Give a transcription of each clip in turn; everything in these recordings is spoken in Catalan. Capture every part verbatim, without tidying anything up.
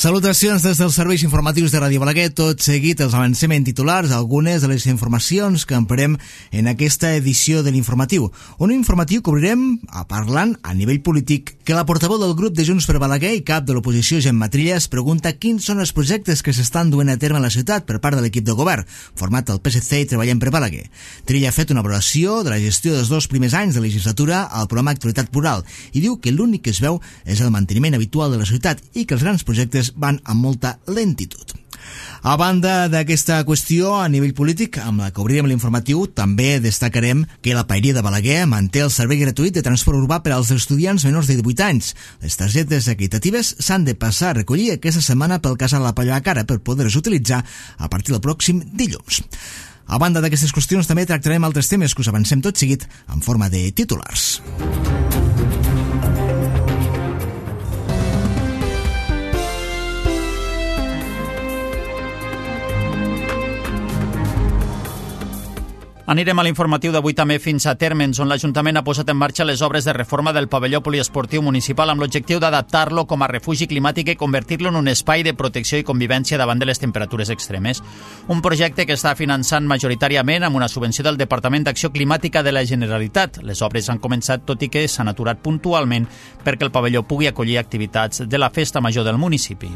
Salutacions des dels serveis informatius de Ràdio Balaguer. Tot seguit els avancem en titulars algunes de les informacions que emprem en aquesta edició de l'informatiu. Un informatiu que obrirem a parlant a nivell polític que la portaveu del grup de Junts per Balaguer i cap de l'oposició, Gemma Trilla, es pregunta quins són els projectes que s'estan duent a terme a la ciutat per part de l'equip de govern, format al P S C i Treballem per Balaguer. Trilla ha fet una valoració de la gestió dels dos primers anys de legislatura al programa Actualitat Plural i diu que l'únic que es veu és el manteniment habitual de la ciutat i que els grans projectes van amb molta lentitud. A banda d'aquesta qüestió a nivell polític, amb la que obrirem l'informatiu, també destacarem que la Paeria de Balaguer manté el servei gratuït de transport urbà per als estudiants menors de divuit anys. Les targetes equitatives s'han de passar a recollir aquesta setmana pel casal La Palla a Cara per poder-les utilitzar a partir del pròxim dilluns. A banda d'aquestes qüestions, també tractarem altres temes que us avancem tot seguit en forma de titulars. Anirem a l'informatiu d'avui també fins a Térmens, on l'Ajuntament ha posat en marxa les obres de reforma del pavelló poliesportiu municipal amb l'objectiu d'adaptar-lo com a refugi climàtic i convertir-lo en un espai de protecció i convivència davant de les temperatures extremes. Un projecte que està finançant majoritàriament amb una subvenció del Departament d'Acció Climàtica de la Generalitat. Les obres han començat, tot i que s'han aturat puntualment perquè el pavelló pugui acollir activitats de la Festa Major del municipi.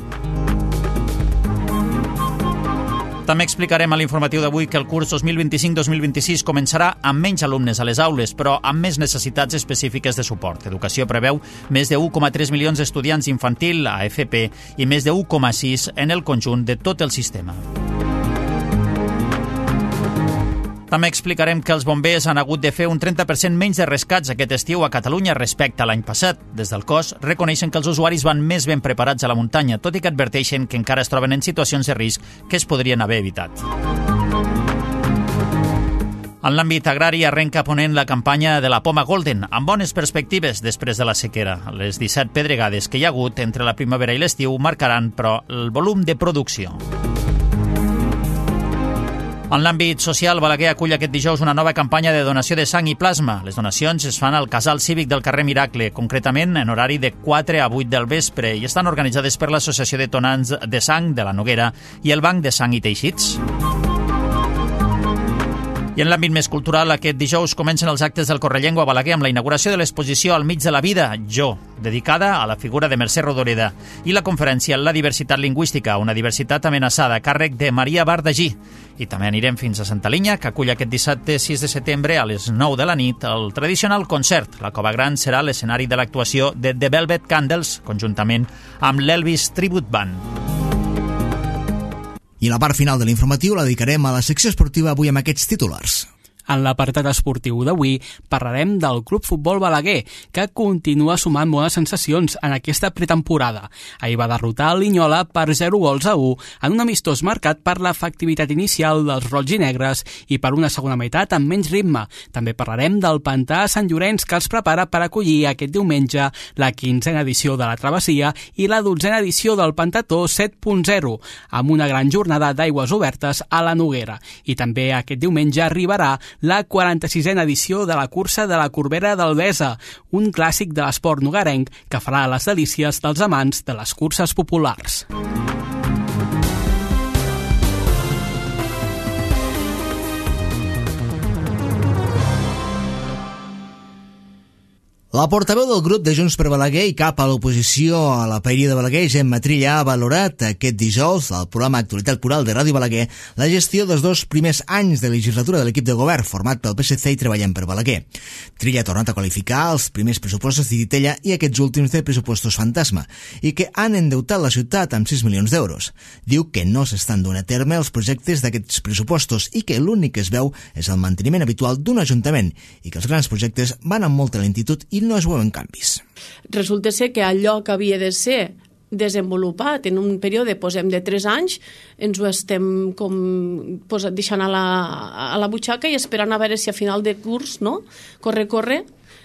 També explicarem a l'informatiu d'avui que el curs dos mil vint-i-cinc dos mil vint-i-sis començarà amb menys alumnes a les aules, però amb més necessitats específiques de suport. Educació preveu més de u coma tres milions d'estudiants infantil a F P i més de u coma sis en el conjunt de tot el sistema. També explicarem que els bombers han hagut de fer un trenta per cent menys de rescats aquest estiu a Catalunya respecte a l'any passat. Des del cos reconeixen que els usuaris van més ben preparats a la muntanya, tot i que adverteixen que encara es troben en situacions de risc que es podrien haver evitat. En l'àmbit agrari arrenca ponent la campanya de la poma Golden, amb bones perspectives després de la sequera. Les disset pedregades que hi ha hagut entre la primavera i l'estiu marcaran, però, el volum de producció. En l'àmbit social, Balaguer acull aquest dijous una nova campanya de donació de sang i plasma. Les donacions es fan al Casal Cívic del carrer Miracle, concretament en horari de quatre a vuit del vespre, i estan organitzades per l'Associació de Donants de Sang de la Noguera i el Banc de Sang i Teixits. I en l'àmbit més cultural, aquest dijous comencen els actes del Correllengua a Balaguer amb la inauguració de l'exposició Al mig de la vida, Jo, dedicada a la figura de Mercè Rodoreda, i la conferència La diversitat lingüística, una diversitat amenaçada, a càrrec de Maria Bardagí. I també anirem fins a Santa Linya, que acull aquest dissabte sis de setembre a les nou de la nit el tradicional concert. La Cova Gran serà l'escenari de l'actuació de The Velvet Candles, conjuntament amb l'Elvis Tribute Band. I la part final de l'informatiu la dedicarem a la secció esportiva avui amb aquests titulars. En l'apartat esportiu d'avui parlarem del Club Futbol Balaguer, que continua sumant bones sensacions en aquesta pretemporada. Ahir va derrotar el Linyola per zero gols a u en un amistós marcat per l'efectivitat inicial dels roig i negres i per una segona meitat amb menys ritme. També parlarem del Pantà a Sant Llorenç, que els prepara per acollir aquest diumenge la quinzena edició de la Travessia i la dotzena edició del Pantató set punt zero, amb una gran jornada d'aigües obertes a la Noguera. I també aquest diumenge arribarà la quaranta-sisena edició de la cursa de la Corbera d'Albesa, un clàssic de l'esport nogarenc que farà les delícies dels amants de les curses populars. La portaveu del grup de Junts per Balaguer i cap a l'oposició a la Paeria de Balaguer, Gemma Trilla, ha valorat aquest dijous al programa Actualitat Plural de Ràdio Balaguer la gestió dels dos primers anys de legislatura de l'equip de govern format pel P S C i Treballem per Balaguer. Trilla ha tornat a qualificar els primers pressupostos d'Itella i aquests últims de pressupostos fantasma i que han endeutat la ciutat amb sis milions d'euros. Diu que no s'estan donant a terme els projectes d'aquests pressupostos i que l'únic que es veu és el manteniment habitual d'un ajuntament i que els grans projectes van amb molta lentitud i no es veuen canvis. Resulta ser que allò que havia de ser desenvolupat en un període, posem, de tres anys, ens ho estem com posat, deixant a la, a la butxaca i esperant a veure si a final de curs, no? Corre, corre,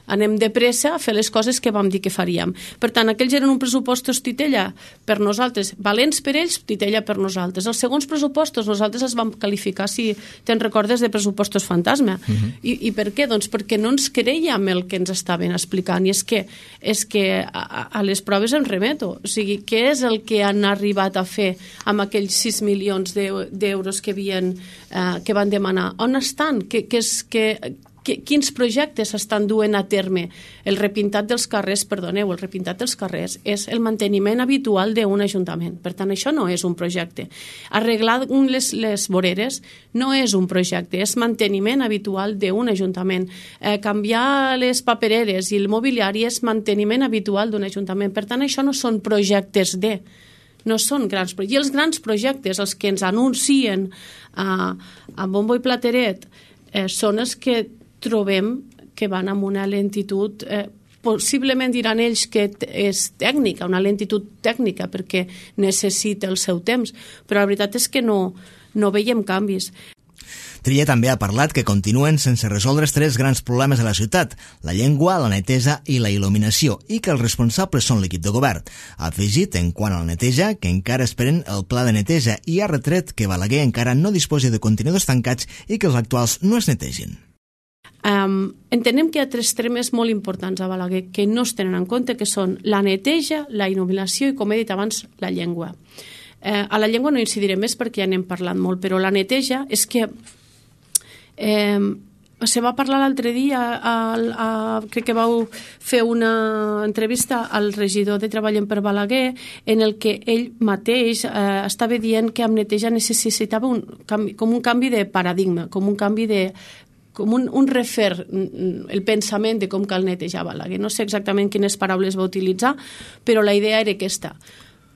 anem de pressa a fer les coses que vam dir que faríem. Per tant, aquells eren un pressupostos titella per nosaltres, valents per ells, titella per nosaltres. Els segons pressupostos nosaltres els vam qualificar, si te'n recordes, de pressupostos fantasma. Uh-huh. I, I per què? Doncs perquè no ens creiem el que ens estaven explicant, i és que, és que a, a les proves em remeto. O sigui, què és el que han arribat a fer amb aquells sis milions d'euros que, havien, eh, que van demanar? On estan? Que, que és, que, que, quins projectes s'estan duent a terme? El repintat dels carrers, perdoneu, el repintat dels carrers és el manteniment habitual d'un ajuntament. Per tant, això no és un projecte. Arreglar les, les voreres no és un projecte, és manteniment habitual d'un ajuntament. Eh, canviar les papereres i el mobiliari és manteniment habitual d'un ajuntament. Per tant, això no són projectes de... No són grans projectes. I els grans projectes, els que ens anuncien a, a bombo i plateret, eh, són els que trobem que van amb una lentitud, eh, possiblement diran ells que és tècnica, una lentitud tècnica, perquè necessita el seu temps, però la veritat és que no, no veiem canvis. Trilla també ha parlat que continuen sense resoldre tres grans problemes de la ciutat: la llengua, la neteja i la il·luminació, i que els responsables són l'equip de govern. Ha afegit, en quant a la neteja, que encara esperen el pla de neteja i ha retret que Balaguer encara no disposi de contenidors tancats i que els actuals no es netegin. Um, entenem que hi ha tres temes molt importants a Balaguer que no es tenen en compte, que són la neteja, la il·luminació i, com he dit abans, la llengua. Eh, a la llengua no incidiré més perquè ja n'hem parlat molt, però la neteja és que eh, se va parlar l'altre dia, a, a, crec que vau fer una entrevista al regidor de Treball per Balaguer, en el que ell mateix eh, estava dient que amb neteja necessitava un canvi, com un canvi de paradigma, com un canvi de com un, un refer el pensament de com cal netejar Balaguer. No sé exactament quines paraules va utilitzar, però la idea era aquesta.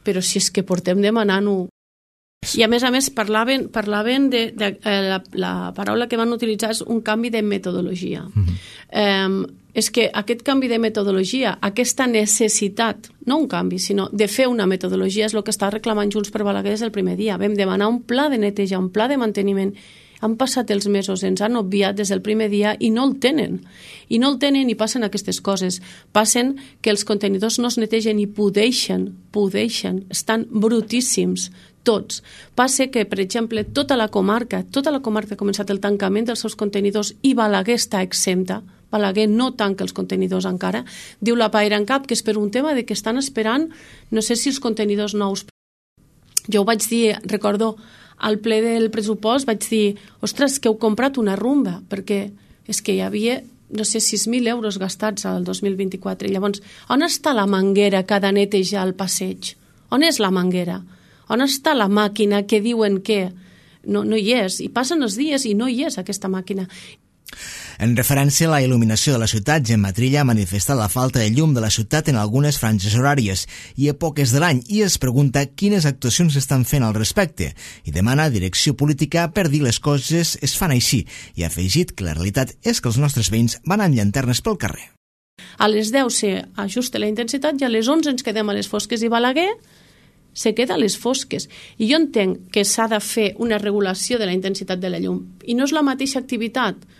Però si és que portem demanant-ho... I a més a més parlaven, parlaven de, de eh, la, la paraula que van utilitzar és un canvi de metodologia. Mm-hmm. eh, és que aquest canvi de metodologia, aquesta necessitat, no un canvi, sinó de fer una metodologia, és el que està reclamant Junts per Balaguer des del primer dia. Vam demanar un pla de neteja, un pla de manteniment. Han passat els mesos, ens han obviat des del primer dia i no el tenen. I no el tenen i passen aquestes coses. Passen que els contenidors no es netegen i pudeixen, pudeixen, estan brutíssims, tots. Passa que, per exemple, tota la comarca, tota la comarca ha començat el tancament dels seus contenidors i Balaguer està exempta. Balaguer no tanca els contenidors encara. Diu la Pairancap que és per un tema de que estan esperant, no sé si els contenidors nous. Jo ho vaig dir, recordo, al ple del pressupost vaig dir, ostres, que heu comprat una rumba, perquè és que hi havia, no sé, sis mil euros gastats al dos mil vint-i-quatre. Llavors, on està la manguera que ha de netejar el passeig? On és la manguera? On està la màquina que diuen que no, no hi és? I passen els dies i no hi és aquesta màquina. En referència a la il·luminació de la ciutat, Gemma Trilla ha manifestat la falta de llum de la ciutat en algunes franges horàries i èpoques de l'any i es pregunta quines actuacions s'estan fent al respecte i demana direcció política per dir les coses es fan així i ha afegit que la realitat és que els nostres veïns van amb llanternes pel carrer. A les deu s'ajusta la intensitat i a les onze ens quedem a les fosques i Balaguer se queda a les fosques. I jo entenc que s'ha de fer una regulació de la intensitat de la llum i no és la mateixa activitat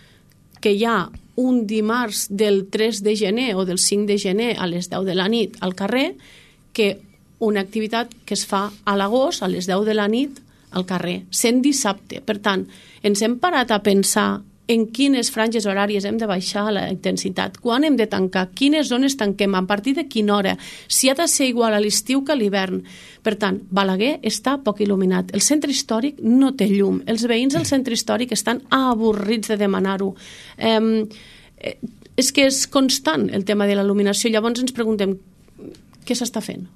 que hi ha un dimarts del tres de gener o del cinc de gener a les deu de la nit al carrer que una activitat que es fa a l'agost a les deu de la nit al carrer, sent dissabte. Per tant, ens hem parat a pensar en quines franges horàries hem de baixar la intensitat, quan hem de tancar, quines zones tanquem, a partir de quina hora, si ha de ser igual a l'estiu que a l'hivern. Per tant, Balaguer està poc il·luminat. El centre històric no té llum. Els veïns del centre històric estan avorrits de demanar-ho. Eh, és que és constant el tema de la il·luminació. Llavors ens preguntem què s'està fent?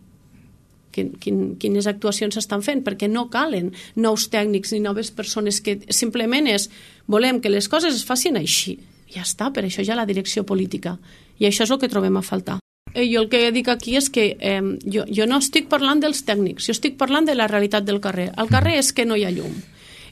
Quin, quin, quines actuacions s'estan fent, perquè no calen nous tècnics ni noves persones, que simplement és, volem que les coses es facin així. Ja està, per això hi ha la direcció política. I això és el que trobem a faltar. Eh, jo el que dic aquí és que eh, jo, jo no estic parlant dels tècnics, jo estic parlant de la realitat del carrer. El carrer és que no hi ha llum.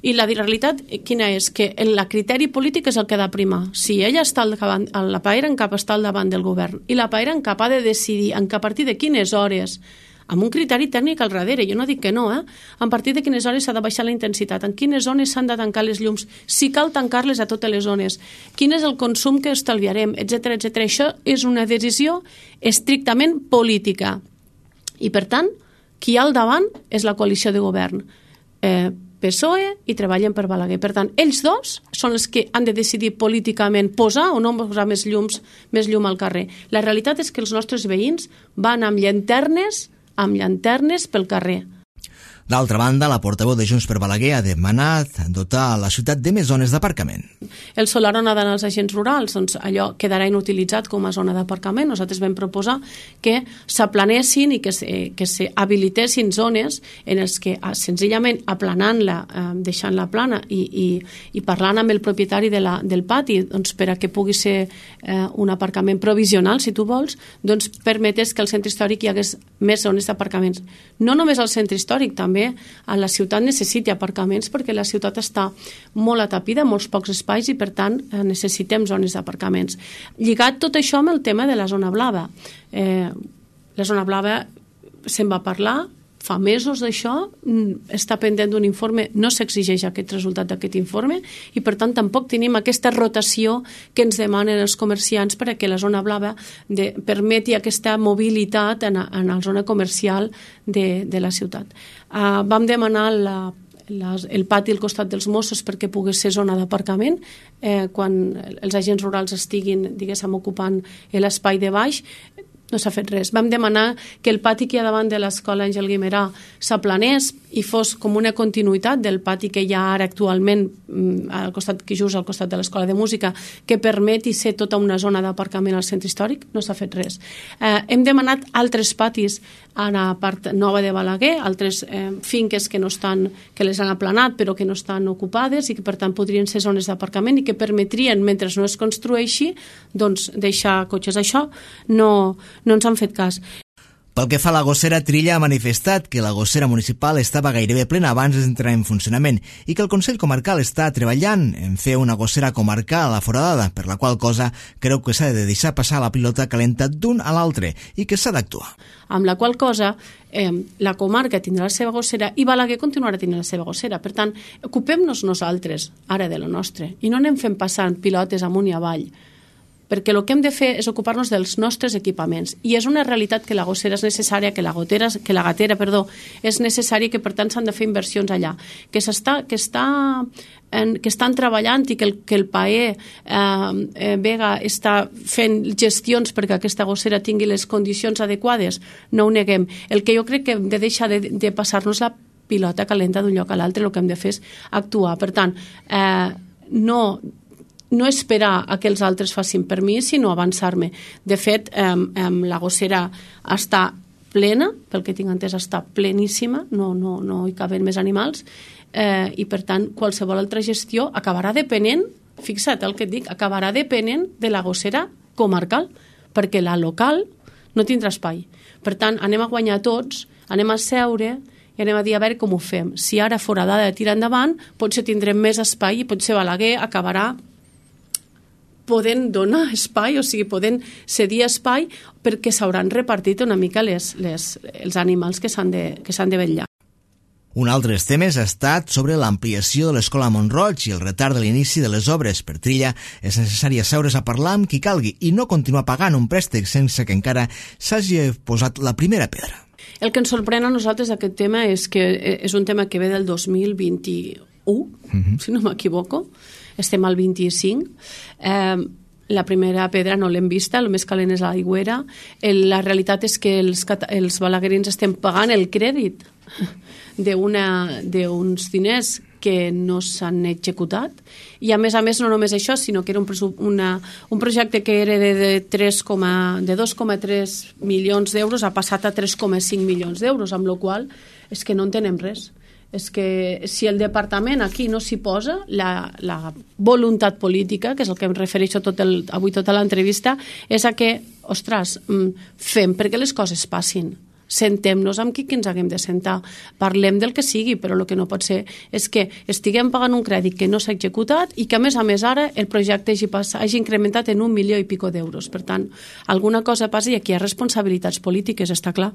I la realitat quina és? Que el criteri polític és el que ha de primar. Si ella està al davant, la Pairancap està al davant del govern i la Pairancap ha de decidir en que a partir de quines hores amb un criteri tècnic al darrere, jo no dic que no, eh? A partir de quines hores s'ha de baixar la intensitat, en quines zones s'han de tancar les llums, si cal tancar-les a totes les zones, quin és el consum que estalviarem, etcètera, etcètera. Això és una decisió estrictament política. I, per tant, qui hi ha al davant és la coalició de govern. Eh, P S O E i treballen per Balaguer. Per tant, ells dos són els que han de decidir políticament posar o no posar més llums, més llum al carrer. La realitat és que els nostres veïns van amb llanternes, amb llanternes pel carrer. D'altra banda, la portaveu de Junts per Balaguer ha demanat dotar la ciutat de més zones d'aparcament. El solar on ha d'anar als agents rurals, doncs allò quedarà inutilitzat com a zona d'aparcament. Nosaltres vam proposar que s'aplanessin i que s'habilitessin zones en els que senzillament aplanant-la, eh, deixant-la plana i, i, i parlant amb el propietari de la, del pati doncs, per a que pugui ser eh, un aparcament provisional, si tu vols, doncs permetés que al centre històric hi hagués més zones d'aparcaments. No només al centre històric, també a la ciutat necessita aparcaments perquè la ciutat està molt atapida, molts pocs espais i per tant necessitem zones d'aparcaments. Lligat tot això amb el tema de la zona blava. Eh, la zona blava se'n va parlar fa mesos d'això, està pendent d'un informe, no s'exigeix aquest resultat d'aquest informe i per tant tampoc tenim aquesta rotació que ens demanen els comerciants per a que la zona blava de, permeti aquesta mobilitat en, en la zona comercial de, de la ciutat. Uh, vam demanar la Les, el pati al costat dels Mossos perquè pogués ser zona d'aparcament eh, quan els agents rurals estiguin, diguéssim, ocupant l'espai de baix. No s'ha fet res. Vam demanar que el pati que hi ha davant de l'escola Àngel Guimerà s'aplanés i fos com una continuïtat del pati que hi ha ara actualment al costat, que just al costat de l'escola de música, que permeti ser tota una zona d'aparcament al centre històric. No s'ha fet res. Eh, hem demanat altres patis a la part nova de Balaguer, altres eh, finques que no estan, que les han aplanat però que no estan ocupades i que per tant podrien ser zones d'aparcament i que permetrien, mentre no es construeixi, doncs deixar cotxes. Això no no ens han fet cas. Pel que fa a la gossera, Trilla ha manifestat que la gossera municipal estava gairebé plena abans d'entrar en funcionament i que el Consell Comarcal està treballant en fer una gossera comarcal a la foradada, per la qual cosa creu que s'ha de deixar passar la pilota calenta d'un a l'altre i que s'ha d'actuar. Amb la qual cosa eh, la comarca tindrà la seva gossera i Balaguer continuarà tenint la seva gossera. Per tant, ocupem-nos nosaltres ara de la nostra i no anem fent passant pilotes amunt i avall, perquè el que hem de fer és ocupar-nos dels nostres equipaments. I és una realitat que la gossera és necessària, que la, gotera, que la gatera perdó, és necessària i que per tant s'han de fer inversions allà. Que, s'està, que, està, en, que estan treballant i que el, que el P A E eh, eh, Vega està fent gestions perquè aquesta gossera tingui les condicions adequades, no ho neguem. El que jo crec que hem de deixar de, de passar-nos la pilota calenta d'un lloc a l'altre, el que hem de fer és actuar. Per tant, eh, no... no esperar a que els altres facin per mi, sinó avançar-me. De fet, eh, eh, la gossera està plena, pel que tinc entès està pleníssima, no, no, no hi caben més animals, eh, i per tant qualsevol altra gestió acabarà depenent, fixa't el que et dic, acabarà depenent de la gossera comarcal, perquè la local no tindrà espai. Per tant, anem a guanyar tots, anem a seure i anem a dir a veure com ho fem. Si ara foradada tira endavant, potser tindrem més espai i potser Balaguer acabarà podent donar espai, o sigui, podent cedir espai perquè s'hauran repartit una mica les, les, els animals que s'han de, que s'han de vetllar. Un altre temes ha estat sobre l'ampliació de l'escola Montroig i el retard de l'inici de les obres. Per Trilla és necessari asseure's a parlar amb qui calgui i no continuar pagant un préstec sense que encara s'hagi posat la primera pedra. El que ens sorprèn a nosaltres d'aquest tema és que és un tema que ve del dos mil vint-i-u, uh-huh. si no m'equivoco, estem al vint-i-cinc, eh, la primera pedra no l'hem vista, el més calent és l'aigüera, la realitat és que els, els balaguerins estem pagant el crèdit d'uns diners que no s'han executat i a més a més no només això, sinó que era un, una, un projecte que era de, de, de dos coma tres milions d'euros ha passat a tres coma cinc milions d'euros, amb la qual cosa és que no entenem res. És que si el departament aquí no s'hi posa, la, la voluntat política, que és el que em refereixo tot el, avui tota l'entrevista, és a que, ostres, fem perquè les coses passin. Sentem-nos amb qui que ens haguem de sentar. Parlem del que sigui, però el que no pot ser és que estiguem pagant un crèdit que no s'ha executat i que, a més a més, ara el projecte hagi, pas, hagi incrementat en un milió i pico d'euros. Per tant, alguna cosa passa i aquí hi ha responsabilitats polítiques, està clar.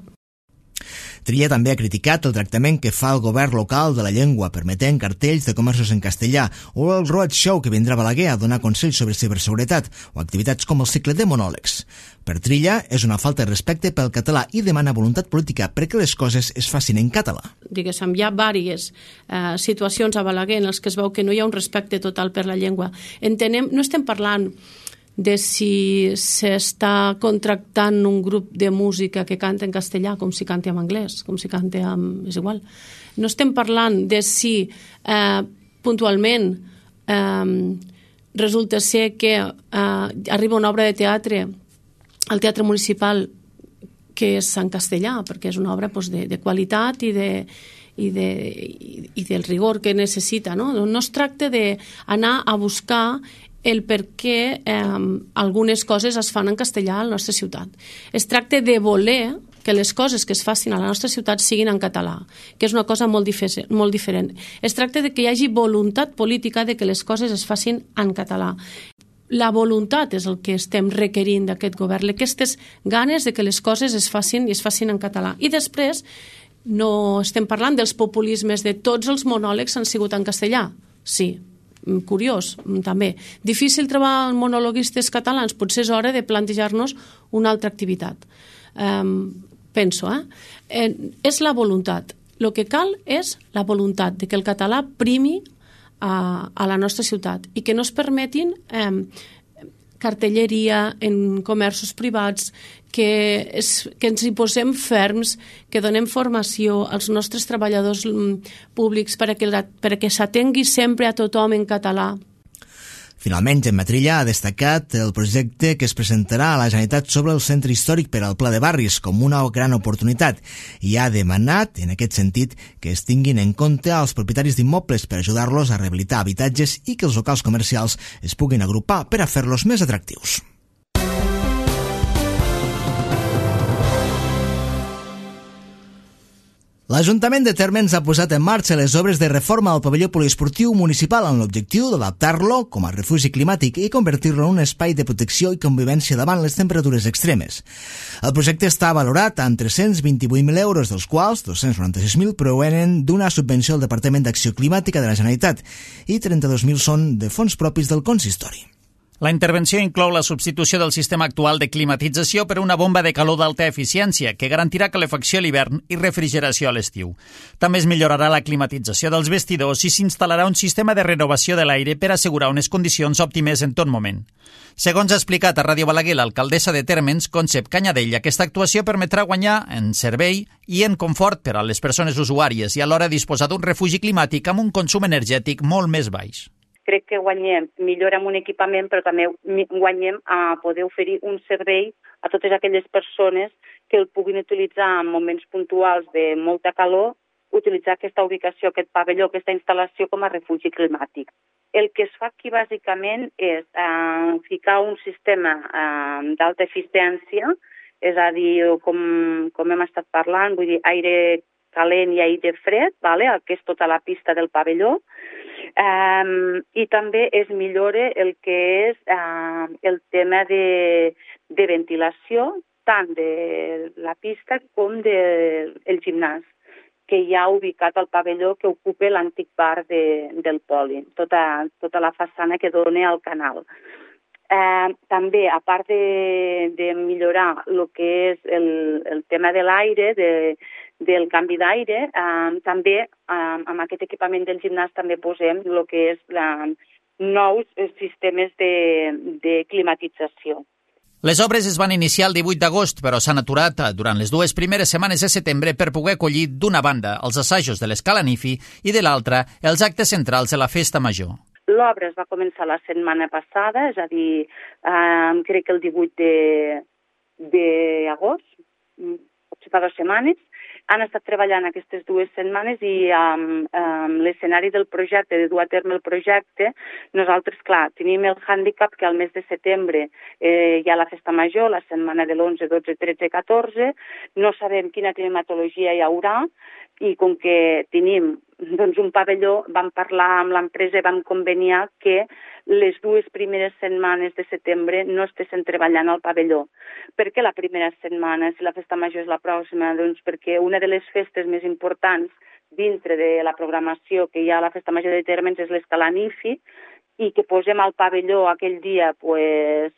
Trilla també ha criticat el tractament que fa el govern local de la llengua, permetent cartells de comerços en castellà, o el roadshow que vindrà a Balaguer a donar consells sobre ciberseguretat, o activitats com el cicle de monòlegs. Per Trilla, és una falta de respecte pel català i demana voluntat política perquè les coses es facin en català. Diguéssim, hi ha diverses eh, situacions a Balaguer en les que es veu que no hi ha un respecte total per la llengua. Entenem, no estem parlant de si s'està contractant un grup de música que canta en castellà com si canta en anglès, com si canta en... és igual. No estem parlant de si eh, puntualment eh, resulta ser que eh, arriba una obra de teatre al Teatre Municipal que és en castellà, perquè és una obra pues, de, de qualitat i de, i, de, i del rigor que necessita. No, no es tracta d'anar a buscar el per què eh, algunes coses es fan en castellà a la nostra ciutat. Es tracta de voler que les coses que es facin a la nostra ciutat siguin en català, que és una cosa molt, dife- molt diferent. Es tracta de que hi hagi voluntat política de que les coses es facin en català. La voluntat és el que estem requerint d'aquest govern, aquestes ganes de que les coses es facin i es facin en català. I després no estem parlant dels populismes de tots els monòlegs han sigut en castellà. Sí, curiós, també. Difícil trobar monologuistes catalans, potser és hora de plantejar-nos una altra activitat. Um, penso, eh? eh? És la voluntat. El que cal és la voluntat de que el català primi a, a la nostra ciutat i que no es permetin eh, cartelleria en comerços privats, que, es, que ens hi posem ferms, que donem formació als nostres treballadors públics perquè, perquè s'atengui sempre a tothom en català. Finalment, Gemma Trilla ha destacat el projecte que es presentarà a la Generalitat sobre el centre històric per al Pla de Barris com una gran oportunitat i ha demanat, en aquest sentit, que es tinguin en compte els propietaris d'immobles per ajudar-los a rehabilitar habitatges i que els locals comercials es puguin agrupar per a fer-los més atractius. L'Ajuntament de Térmens ha posat en marxa les obres de reforma al pavelló poliesportiu municipal amb l'objectiu d'adaptar-lo com a refugi climàtic i convertir-lo en un espai de protecció i convivència davant les temperatures extremes. El projecte està valorat en tres-cents vint-i-vuit mil euros, dels quals dos-cents noranta-sis mil provenen d'una subvenció al Departament d'Acció Climàtica de la Generalitat i trenta-dos mil són de fons propis del consistori. La intervenció inclou la substitució del sistema actual de climatització per una bomba de calor d'alta eficiència que garantirà calefacció a l'hivern i refrigeració a l'estiu. També es millorarà la climatització dels vestidors i s'instal·larà un sistema de renovació de l'aire per assegurar unes condicions òptimes en tot moment. Segons ha explicat a Ràdio Balaguer l'alcaldessa de Térmens, Concep Canyadell, aquesta actuació permetrà guanyar en servei i en confort per a les persones usuàries i alhora disposar d'un refugi climàtic amb un consum energètic molt més baix. Crec que guanyem millor amb un equipament, però també guanyem a poder oferir un servei a totes aquelles persones que el puguin utilitzar en moments puntuals de molta calor, utilitzar aquesta ubicació, aquest pavelló, aquesta instal·lació com a refugi climàtic. El que es fa aquí bàsicament és eh, ficar un sistema eh, d'alta eficiència, és a dir, com, com hem estat parlant, vull dir, aire calent i aire fred, vale? El que és tota la pista del pavelló, Um, i també es millora el que és uh, el tema de, de ventilació, tant de la pista com del de, gimnàs, que hi ha ubicat al pavelló que ocupa l'antic bar de, del Poli, tota, tota la façana que dona al canal. Uh, també, a part de, de millorar el que és el, el tema de l'aire, de, del canvi d'aire, uh, també uh, amb aquest equipament del gimnàs també posem el que és la, nous sistemes de, de climatització. Les obres es van iniciar el divuit d'agost, però s'han aturat durant les dues primeres setmanes de setembre per poder acollir d'una banda els assajos de l'Escala Nifi i de l'altra els actes centrals de la Festa Major. L'obra es va començar la setmana passada, és a dir, eh, crec que el divuit d'agost, potser fa dues setmanes. Han estat treballant aquestes dues setmanes i amb um, l'escenari del projecte, de dur a terme el projecte, nosaltres, clar, tenim el hàndicap que al mes de setembre eh, hi ha la Festa Major, la setmana de l'onze, dotze, tretze, catorze, no sabem quina climatologia hi haurà i com que tenim doncs un pavelló, vam parlar amb l'empresa i vam conveniar que les dues primeres setmanes de setembre no estessin treballant al pavelló. Per què la primera setmana, si la festa major és la pròxima? Doncs perquè una de les festes més importants dintre de la programació que hi ha a la festa major de Térmens és l'Escalanifi, i que posem al pavelló aquell dia pues,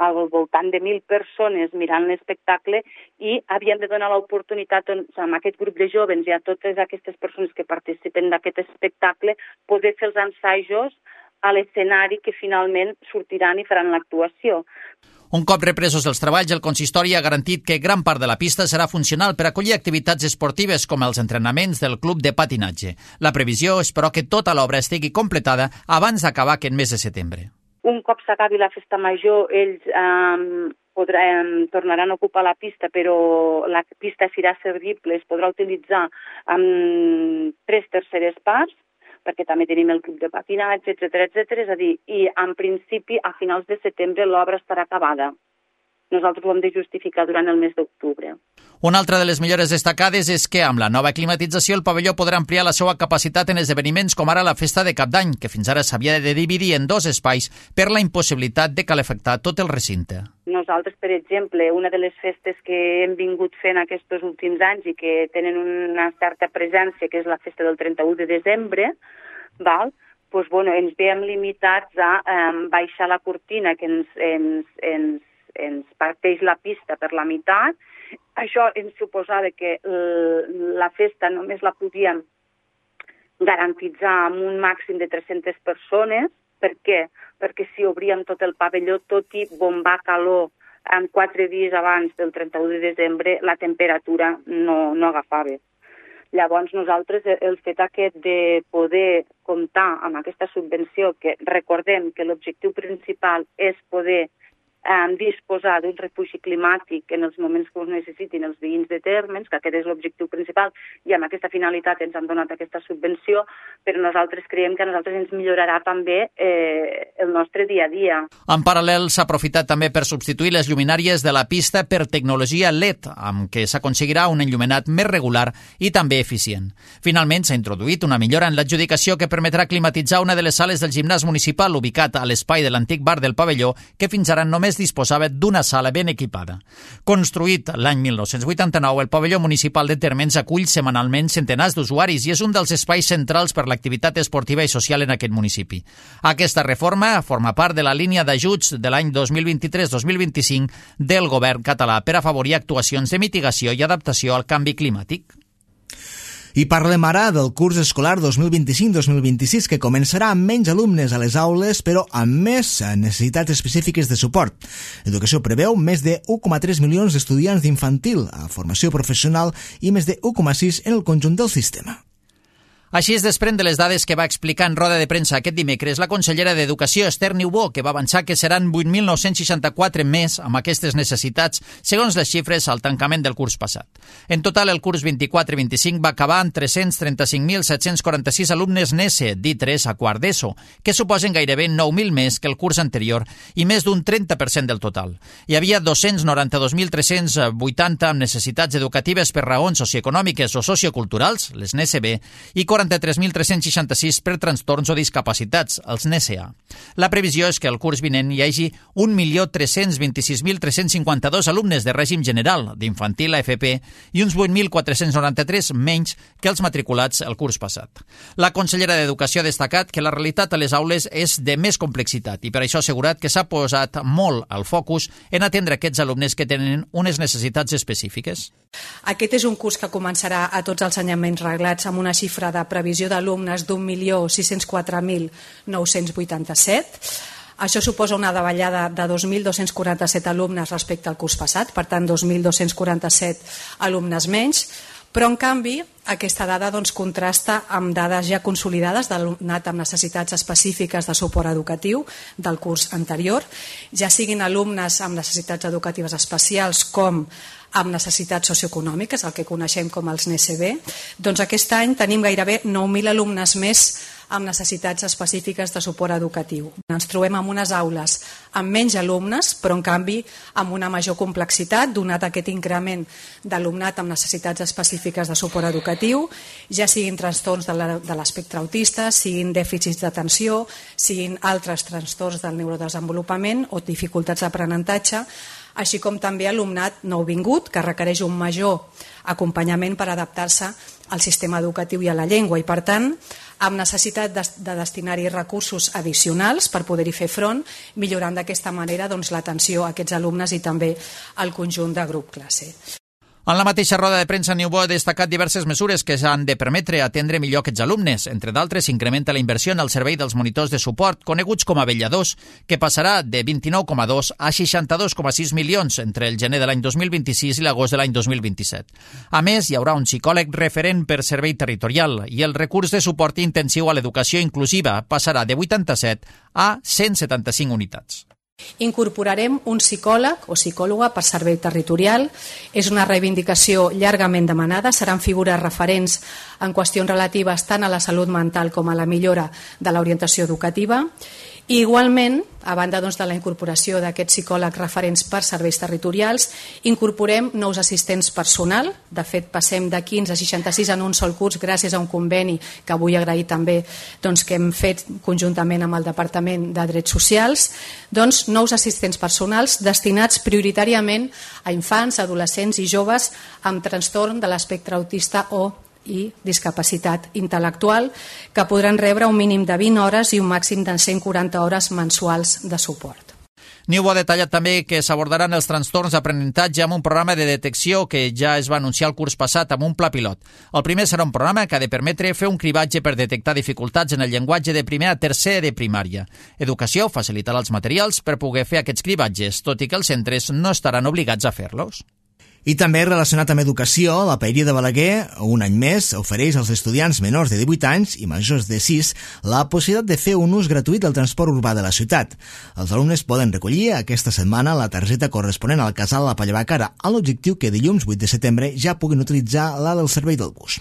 al voltant de mil persones mirant l'espectacle i havíem de donar l'oportunitat doncs, amb aquest grup de joves i a totes aquestes persones que participen d'aquest espectacle poder fer els ensajos a l'escenari que finalment sortiran i faran l'actuació. Un cop represos els treballs, el consistori ha garantit que gran part de la pista serà funcional per acollir activitats esportives com els entrenaments del club de patinatge. La previsió és, però, que tota l'obra estigui completada abans d'acabar aquest mes de setembre. Un cop s'acabi la festa major, ells eh, podran, tornaran a ocupar la pista, però la pista serà servible, es podrà utilitzar amb tres terceres parts, perquè també tenim el club de patinatge, etcètera, etcètera. És a dir, i en principi a finals de setembre l'obra estarà acabada. Nosaltres ho hem de justificar durant el mes d'octubre. Una altra de les millores destacades és que amb la nova climatització el pavelló podrà ampliar la seva capacitat en esdeveniments com ara la festa de Cap d'Any, que fins ara s'havia de dividir en dos espais per la impossibilitat de calefactar tot el recinte. Nosaltres, per exemple, una de les festes que hem vingut fent aquests últims anys i que tenen una certa presència, que és la festa del trenta-u de desembre, val? Pues, bueno, ens veiem limitats a eh, baixar la cortina que ens, ens, ens, ens parteix la pista per la meitat. Això ens suposava que la festa només la podíem garantitzar amb un màxim de tres-centes persones. Per què? Perquè si obríem tot el pavelló, tot i bombar calor en quatre dies abans del trenta-u de desembre, la temperatura no, no agafava. Llavors nosaltres el fet aquest de poder comptar amb aquesta subvenció, que recordem que l'objectiu principal és poder eh, disposar d'un refugi climàtic en els moments que ho necessitin els veïns de Térmens, que aquest és l'objectiu principal, i amb aquesta finalitat ens han donat aquesta subvenció, però nosaltres creiem que a nosaltres ens millorarà també eh, el nostre dia a dia. En paral·lel, s'ha aprofitat també per substituir les lluminàries de la pista per tecnologia L E D, amb què s'aconseguirà un enllumenat més regular i també eficient. Finalment, s'ha introduït una millora en l'adjudicació que permetrà climatitzar una de les sales del gimnàs municipal ubicat a l'espai de l'antic bar del pavelló, que fins ara només disposava d'una sala ben equipada. Construït l'any mil nou-cents vuitanta-nou, el pavelló municipal de Térmens acull setmanalment centenars d'usuaris i és un dels espais centrals per l'activitat esportiva i social en aquest municipi. Aquesta reforma forma part de la línia d'ajuts de l'any dos mil vint-i-tres dos mil vint-i-cinc del govern català per afavorir actuacions de mitigació i adaptació al canvi climàtic. I parlem ara del curs escolar dos mil vint-i-cinc dos mil vint-i-sis, que començarà amb menys alumnes a les aules, però amb més necessitats específiques de suport. L'educació preveu més de u coma tres milions d'estudiants d'infantil a formació professional i més de u coma sis en el conjunt del sistema. Així es desprèn de les dades que va explicar en roda de premsa aquest dimecres la consellera d'Educació, Esther Niubó, que va avançar que seran vuit mil nou-cents seixanta-quatre més amb aquestes necessitats, segons les xifres al tancament del curs passat. En total, el curs vint-i-quatre vint-i-cinc va acabar amb tres-cents trenta-cinc mil set-cents quaranta-sis alumnes N E S E, d'I tres a quart d'ESO, que suposen gairebé nou mil més que el curs anterior i més d'un trenta per cent del total. Hi havia dos-cents noranta-dos mil tres-cents vuitanta amb necessitats educatives per raons socioeconòmiques o socioculturals, les N E S E B, i quaranta-tres mil tres-cents seixanta-sis per trastorns o discapacitats, els N E S E A. La previsió és que el curs vinent hi hagi un milió tres-cents vint-i-sis mil tres-cents cinquanta-dos alumnes de règim general, d'infantil a F P, i uns vuit mil quatre-cents noranta-tres menys que els matriculats el curs passat. La consellera d'Educació ha destacat que la realitat a les aules és de més complexitat i per això ha assegurat que s'ha posat molt el focus en atendre aquests alumnes que tenen unes necessitats específiques. Aquest és un curs que començarà a tots els ensenyaments reglats amb una xifra de previsió d'alumnes d'un milió sis-cents quatre mil nou-cents vuitanta-set. Això suposa una davallada de dos mil dos-cents quaranta-set alumnes respecte al curs passat, per tant dos mil dos-cents quaranta-set alumnes menys, però en canvi aquesta dada doncs, contrasta amb dades ja consolidades d'alumnat amb necessitats específiques de suport educatiu del curs anterior, ja siguin alumnes amb necessitats educatives especials com amb necessitats socioeconòmiques, el que coneixem com els N E S E B, doncs aquest any tenim gairebé nou mil alumnes més amb necessitats específiques de suport educatiu. Ens trobem en unes aules amb menys alumnes, però en canvi amb una major complexitat, donat aquest increment d'alumnat amb necessitats específiques de suport educatiu, ja siguin trastorns de l'espectre autista, siguin dèficits d'atenció, siguin altres trastorns del neurodesenvolupament o dificultats d'aprenentatge, així com també alumnat nouvingut que requereix un major acompanyament per adaptar-se al sistema educatiu i a la llengua i, per tant, amb necessitat de, de destinar-hi recursos addicionals per poder-hi fer front, millorant d'aquesta manera doncs, l'atenció a aquests alumnes i també al conjunt de grup classe. En la mateixa roda de premsa, Niubó ha destacat diverses mesures que s'han de permetre atendre millor aquests alumnes. Entre d'altres, s'incrementa la inversió en el servei dels monitors de suport, coneguts com a vetlladors, que passarà de vint-i-nou coma dos a seixanta-dos coma sis milions entre el gener de l'any dos mil vint-i-sis i l'agost de l'any dos mil vint-i-set. A més, hi haurà un psicòleg referent per servei territorial i el recurs de suport intensiu a l'educació inclusiva passarà de vuitanta-set a cent setanta-cinc unitats. Incorporarem un psicòleg o psicòloga per servei territorial. És una reivindicació llargament demanada. Seran figures referents en qüestions relatives tant a la salut mental com a la millora de l'orientació educativa. I igualment, a banda doncs, de la incorporació d'aquests psicòlegs referents per serveis territorials, incorporem nous assistents personal. De fet, passem de quinze a seixanta-sis en un sol curs gràcies a un conveni que vull agrair també doncs, que hem fet conjuntament amb el Departament de Drets Socials. Doncs, nous assistents personals destinats prioritàriament a infants, adolescents i joves amb trastorn de l'espectre autista o i discapacitat intel·lectual, que podran rebre un mínim de vint hores i un màxim de cent quaranta hores mensuals de suport. Niubó ha detallat també que s'abordaran els trastorns d'aprenentatge amb un programa de detecció que ja es va anunciar el curs passat amb un pla pilot. El primer serà un programa que ha de permetre fer un cribatge per detectar dificultats en el llenguatge de primer a tercer de primària. Educació facilitarà els materials per poder fer aquests cribatges, tot i que els centres no estaran obligats a fer-los. I també relacionat amb educació, la Paeria de Balaguer, un any més, ofereix als estudiants menors de divuit anys i majors de sis la possibilitat de fer un ús gratuït del transport urbà de la ciutat. Els alumnes poden recollir aquesta setmana la targeta corresponent al casal La Pallavacara, amb l'objectiu que dilluns vuit de setembre ja puguin utilitzar la del servei del bus.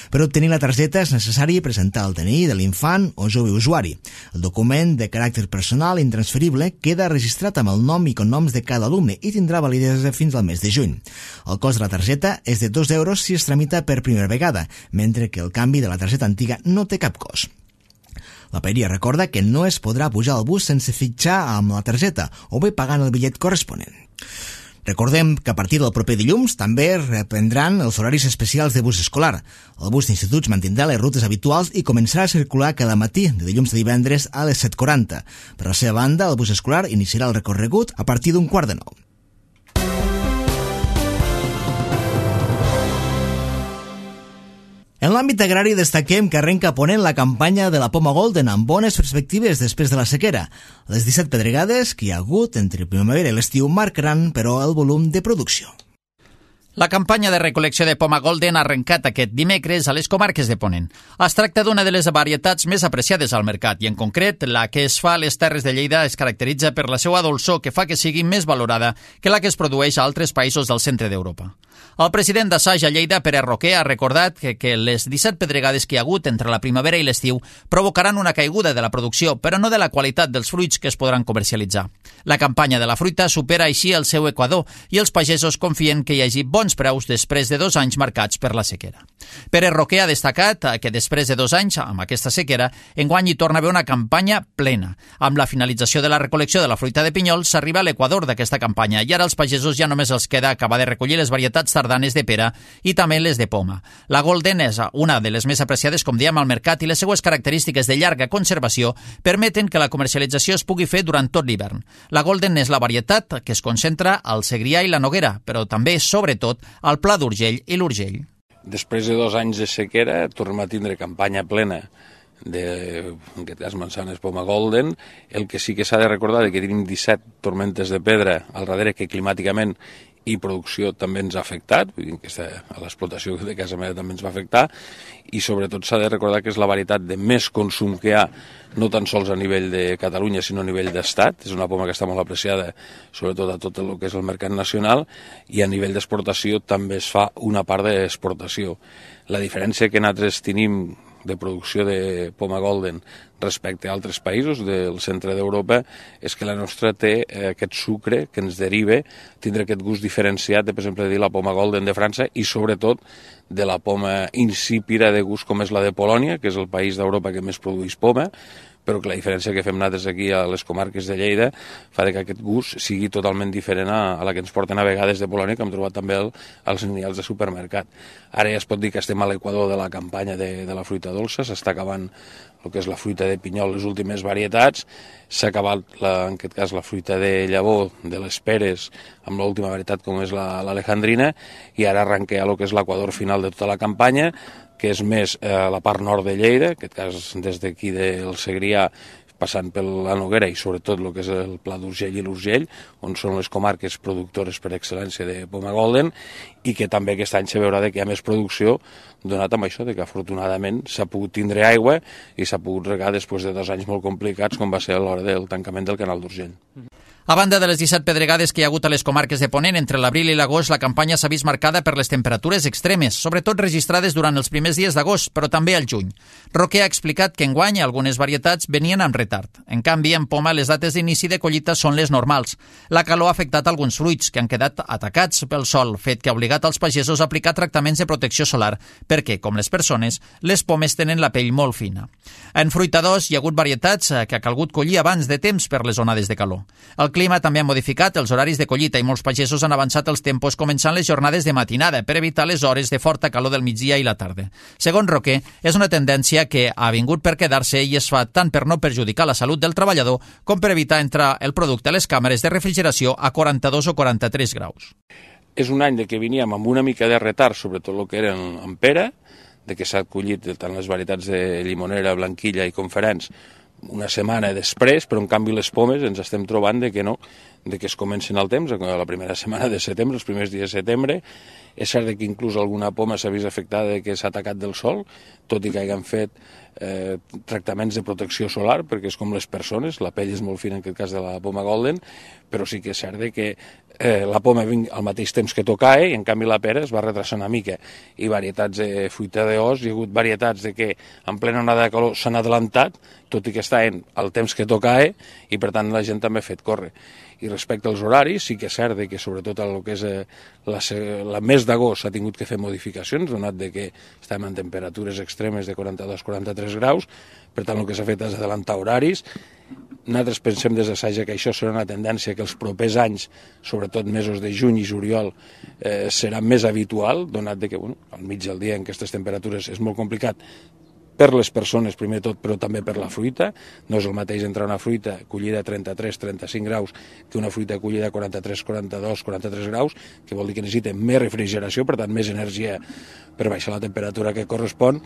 Per obtenir la targeta és necessari presentar el D N I de l'infant o jove usuari. El document de caràcter personal intransferible queda registrat amb el nom i cognoms de cada alumne i tindrà validesa fins al mes de juny. El cost de la targeta és de dos euros si es tramita per primera vegada, mentre que el canvi de la targeta antiga no té cap cost. La Paeria recorda que no es podrà pujar al bus sense fitxar amb la targeta o bé pagant el bitllet corresponent. Recordem que a partir del proper dilluns també reprendran els horaris especials de bus escolar. El bus d'instituts mantindrà les rutes habituals i començarà a circular cada matí de dilluns a divendres a les set quaranta. Per la seva banda, el bus escolar iniciarà el recorregut a partir d'un quart de nou. En l'àmbit agrari destaquem que arrenca a Ponent la campanya de la poma golden amb bones perspectives després de la sequera. Les disset pedregades que hi ha hagut entre primavera i l'estiu marcaran, però, el volum de producció. La campanya de recol·lecció de poma golden ha arrencat aquest dimecres a les comarques de Ponent. Es tracta d'una de les varietats més apreciades al mercat i, en concret, la que es fa a les Terres de Lleida es caracteritza per la seva dolçor que fa que sigui més valorada que la que es produeix a altres països del centre d'Europa. El president d'Assaig a Lleida, Pere Roquer, ha recordat que, que les disset pedregades que hi ha hagut entre la primavera i l'estiu provocaran una caiguda de la producció, però no de la qualitat dels fruits que es podran comercialitzar. La campanya de la fruita supera així el seu equador i els pagesos confien que hi hagi bons preus després de dos anys marcats per la sequera. Pere Roquer ha destacat que després de dos anys, amb aquesta sequera, enguany hi torna a haver una campanya plena. Amb la finalització de la recol·lecció de la fruita de pinyol s'arriba a l'equador d'aquesta campanya i ara als pagesos ja només els queda acabar de recollir les varietats tardanes de pera i també les de poma. La Golden és una de les més apreciades, com diem, al mercat i les seues característiques de llarga conservació permeten que la comercialització es pugui fer durant tot l'hivern. La Golden és la varietat que es concentra al Segrià i la Noguera, però també, sobretot, al Pla d'Urgell i l'Urgell. Després de dos anys de sequera tornem a tindre campanya plena de, en aquest cas, manzanes poma golden. El que sí que s'ha de recordar és que tenim disset tormentes de pedra al darrere que climàticament i producció també ens ha afectat, vull dir que a l'explotació de casa meva també ens va afectar, i sobretot s'ha de recordar que és la varietat de més consum que hi ha, no tan sols a nivell de Catalunya, sinó a nivell d'estat. És una poma que està molt apreciada, sobretot a tot el que és el mercat nacional, i a nivell d'exportació també es fa una part d'exportació. La diferència que nosaltres tenim, de producció de poma golden respecte a altres països del centre d'Europa és que la nostra té eh, aquest sucre que ens deriva, tindre aquest gust diferenciat de, per exemple, dir la poma golden de França i sobretot de la poma insípida de gust com és la de Polònia, que és el país d'Europa que més produeix poma, però que la diferència que fem nosaltres aquí a les comarques de Lleida fa que aquest gust sigui totalment diferent a, a la que ens porten a vegades de Polònia, que hem trobat també el, als lineals de supermercat. Ara ja es pot dir que estem a l'equador de la campanya de, de la fruita dolça, s'està acabant el que és la fruita de pinyol, les últimes varietats, s'ha acabat, la, en aquest cas, la fruita de llavor, de les peres, amb l'última varietat com és l'alejandrina, i ara arrenquem el que és l'equador final de tota la campanya, que és més eh, la part nord de Lleida, en aquest cas des d'aquí del Segrià, passant per la Noguera i sobretot el que és el Pla d'Urgell i l'Urgell, on són les comarques productores per excel·lència de poma golden, i que també aquest any se veurà que hi ha més producció, donat amb això, que afortunadament s'ha pogut tindre aigua i s'ha pogut regar després de dos anys molt complicats, com va ser a l'hora del tancament del canal d'Urgell. A banda de les disset pedregades que hi ha hagut a les comarques de Ponent, entre l'abril i l'agost la campanya s'ha vist marcada per les temperatures extremes, sobretot registrades durant els primers dies d'agost, però també al juny. Roquer ha explicat que enguany algunes varietats venien amb retard. En canvi, en poma les dates d'inici de collita són les normals. La calor ha afectat alguns fruits que han quedat atacats pel sol, fet que ha obligat als pagesos a aplicar tractaments de protecció solar, perquè, com les persones, les pomes tenen la pell molt fina. En fruitadors hi ha hagut varietats que ha calgut collir abans de temps per les onades de calor. El clima també ha modificat els horaris de collita i molts pagesos han avançat els tempos començant les jornades de matinada per evitar les hores de forta calor del migdia i la tarda. Segons Roquer, és una tendència que ha vingut per quedar-se i es fa tant per no perjudicar la salut del treballador com per evitar entrar el producte a les càmeres de refrigeració a quaranta-dos o quaranta-tres graus. És un any de que veníem amb una mica de retard, sobretot el que eren en pera, de que s'ha collit tant les varietats de llimonera, blanquilla i conferents una setmana després, però en canvi les pomes ens estem trobant de que no, de que es comencen al temps, la primera setmana de setembre, els primers dies de setembre. És cert que inclús alguna poma s'ha vist afectada de que s'ha atacat del sol, tot i que hagin fet eh, tractaments de protecció solar, perquè és com les persones, la pell és molt fina en aquest cas de la poma golden, però sí que és cert que eh, la poma vinc al mateix temps que tocae i en canvi la pera es va retrasar una mica. I varietats de fruita d'os, hi ha hagut varietats de que en plena onada de calor s'han adelantat, tot i que estaven al temps que tocae, i per tant la gent també ha fet córrer. I respecte als horaris, sí que és cert que sobretot el que és eh, la, la mes d'agost s'ha tingut que fer modificacions, donat de que estem en temperatures extremes de quaranta-dos a quaranta-tres graus, per tant el que s'ha fet és adelantar horaris. Nosaltres pensem des de Saja que això serà una tendència que els propers anys, sobretot mesos de juny i juliol, eh, serà més habitual, donat de que bueno, al mig del dia en aquestes temperatures és molt complicat per les persones, primer tot, però també per la fruita. No és el mateix entrar una fruita collida a trenta-tres a trenta-cinc graus que una fruita collida a quaranta-tres, quaranta-dos, quaranta-tres graus, que vol dir que necessita més refrigeració, per tant més energia per baixar la temperatura que correspon,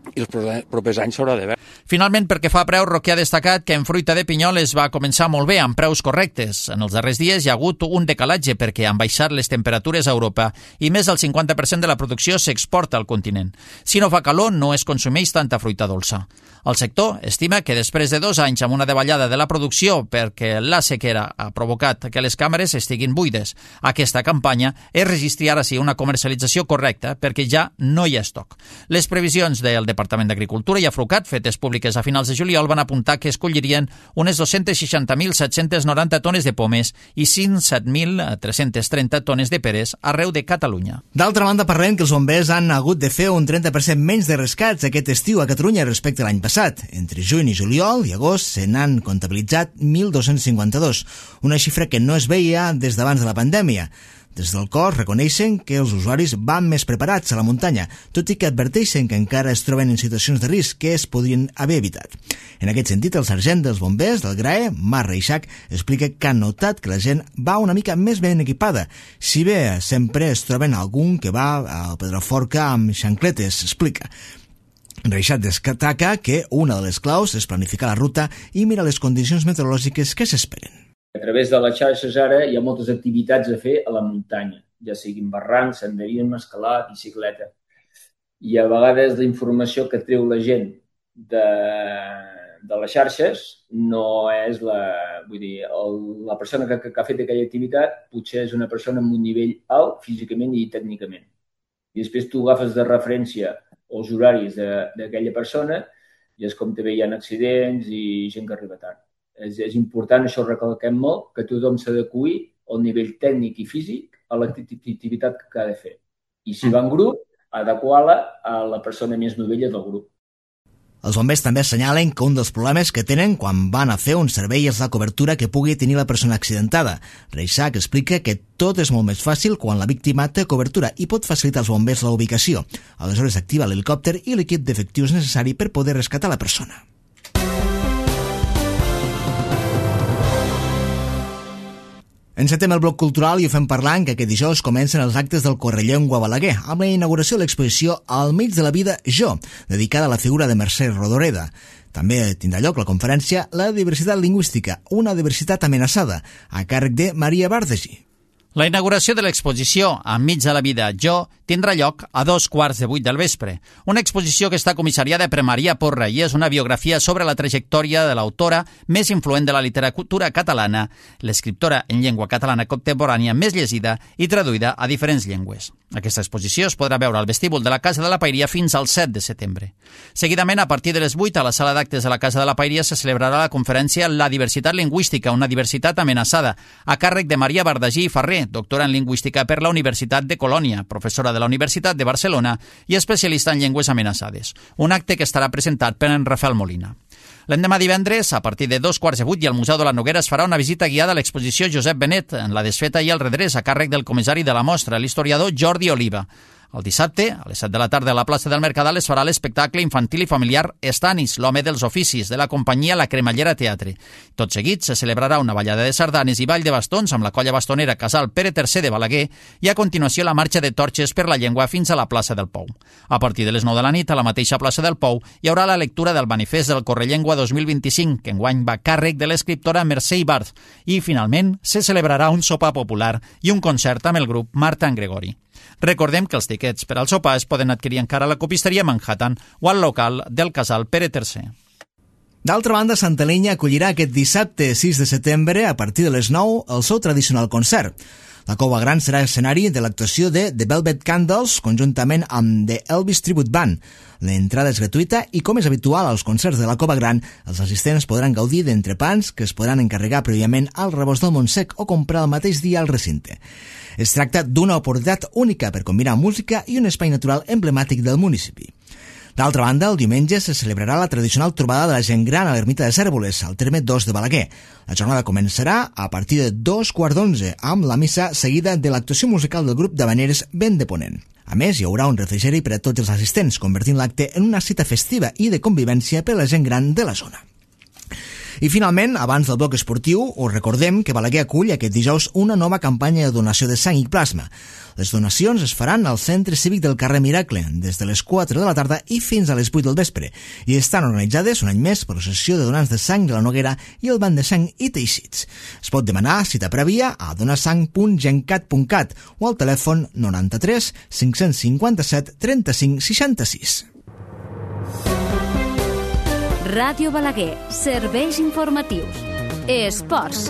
i els propers anys s'haurà de veure. Finalment, perquè fa preu, Roquer ha destacat que en fruita de pinyol es va començar molt bé, amb preus correctes. En els darrers dies hi ha hagut un decalatge perquè han baixat les temperatures a Europa i més del cinquanta per cent de la producció s'exporta al continent. Si no fa calor, no es consumeix tanta fruita dolça. El sector estima que després de dos anys amb una davallada de la producció perquè la sequera ha provocat que les càmeres estiguin buides, aquesta campanya es registri ara sí una comercialització correcta perquè ja no hi ha estoc. Les previsions del Departament d'Agricultura i Afrucat, fetes públiques a finals de juliol, van apuntar que es collirien unes dos-cents seixanta mil set-cents noranta tones de pomes i cent set mil tres-cents trenta tones de peres arreu de Catalunya. D'altra banda, parlem que els bombers han hagut de fer un trenta per cent menys de rescats aquest estiu a Catalunya respecte a l'any passat. Entre juny i juliol i agost se n'han comptabilitzat mil dos-cents cinquanta-dos, una xifra que no es veia des d'abans de la pandèmia. Des del cos reconeixen que els usuaris van més preparats a la muntanya, tot i que adverteixen que encara es troben en situacions de risc que es podrien haver evitat. En aquest sentit, el sergent dels bombers del G R A E, Marc Reixac, explica que ha notat que la gent va una mica més ben equipada, si bé sempre es troben algun que va a Pedraforca amb xancletes, explica. Reixac destaca que una de les claus és planificar la ruta i mirar les condicions meteorològiques que s'esperen. A través de les xarxes ara hi ha moltes activitats a fer a la muntanya, ja siguin barrancs, senderisme, escalar, bicicleta. I a vegades la informació que treu la gent de, de les xarxes no és la... Vull dir, el, la persona que, que ha fet aquella activitat potser és una persona amb un nivell alt físicament i tècnicament. I després tu agafes de referència els horaris d'aquella persona i és com també hi ha accidents i gent que arriba tard. És, és important, això ho recalquem molt, que tothom s'ha d'acuir al nivell tècnic i físic a l'activitat que ha de fer. I si va en grup, adequar-la a la persona més novella del grup. Els bombers també assenyalen que un dels problemes que tenen quan van a fer un servei és la cobertura que pugui tenir la persona accidentada. Reixac explica que tot és molt més fàcil quan la víctima té cobertura i pot facilitar als bombers la ubicació. Aleshores activa l'helicòpter i l'equip d'efectius necessari per poder rescatar la persona. Encetem el bloc cultural i ho fem parlant que aquest dijous comencen els actes del Correllengua Balaguer amb la inauguració de l'exposició Al mig de la vida, jo, dedicada a la figura de Mercè Rodoreda. També tindrà lloc la conferència La diversitat lingüística, una diversitat amenaçada, a càrrec de Maria Bardegi. La inauguració de l'exposició Enmig de la vida, jo, tindrà lloc a dos quarts de vuit del vespre. Una exposició que està comissariada per Maria Porra i és una biografia sobre la trajectòria de l'autora més influent de la literatura catalana, l'escriptora en llengua catalana contemporània més llegida i traduïda a diferents llengües. Aquesta exposició es podrà veure al vestíbul de la Casa de la Paeria fins al set de setembre. Seguidament, a partir de les vuit, a la sala d'actes de la Casa de la Paeria se celebrarà la conferència La diversitat lingüística, una diversitat amenaçada, a càrrec de Maria Bardagi i Ferrer, doctora en lingüística per la Universitat de Colònia, professora de la Universitat de Barcelona i especialista en llengües amenaçades. Un acte que estarà presentat per en Rafael Molina. L'endemà divendres, a partir de dos quarts de vuit i al Museu de la Noguera es farà una visita guiada a l'exposició Josep Benet en la desfeta i el redrés a càrrec del comissari de la mostra, l'historiador Jordi Oliva. El dissabte, a les set de la tarda a la plaça del Mercadal es farà l'espectacle infantil i familiar Estanis, l'home dels oficis, de la companyia La Cremallera Teatre. Tot seguit se celebrarà una ballada de sardanes i ball de bastons amb la colla bastonera Casal Pere tercer de Balaguer i a continuació la marxa de torxes per la llengua fins a la plaça del Pou. A partir de les nou de la nit, a la mateixa plaça del Pou, hi haurà la lectura del manifest del Correllengua dos mil vint-i-cinc, que enguany va a càrrec de l'escriptora Mercè Ibart, i finalment se celebrarà un sopar popular i un concert amb el grup Marta en Gregori. Recordem que els tiquets per al sopar es poden adquirir encara a la copisteria Manhattan o al local del Casal Pere tercer. D'altra banda, Santa Linya acollirà aquest dissabte sis de setembre, a partir de les nou, el seu tradicional concert. La Cova Gran serà escenari de l'actuació de The Velvet Candles, conjuntament amb The Elvis Tribute Band. L'entrada és gratuïta i, com és habitual als concerts de la Cova Gran, els assistents podran gaudir d'entrepans que es podran encarregar prèviament al rebost del Montsec o comprar el mateix dia al recinte. Es tracta d'una oportunitat única per combinar música i un espai natural emblemàtic del municipi. D'altra banda, el diumenge se celebrarà la tradicional trobada de la gent gran a l'ermita de Cérvoles, al terme dos de Balaguer. La jornada començarà a partir de dos quarts d'onze, amb la missa seguida de l'actuació musical del grup d'Havaneres Vent de Ponent. A més, hi haurà un refrigeri per a tots els assistents, convertint l'acte en una cita festiva i de convivència per a la gent gran de la zona. I finalment, abans del bloc esportiu, us recordem que Balaguer acull aquest dijous una nova campanya de donació de sang i plasma. Les donacions es faran al Centre Cívic del carrer Miracle, des de les quatre de la tarda i fins a les vuit del vespre, i estan organitzades un any més per l'Associació de Donants de Sang de la Noguera i el Banc de Sang i Teixits. Es pot demanar cita prèvia a donasang punt gencat punt cat o al telèfon noranta-tres cinc-cents cinquanta-set trenta-cinc seixanta-sis. Ràdio Balaguer, serveis informatius. Esports.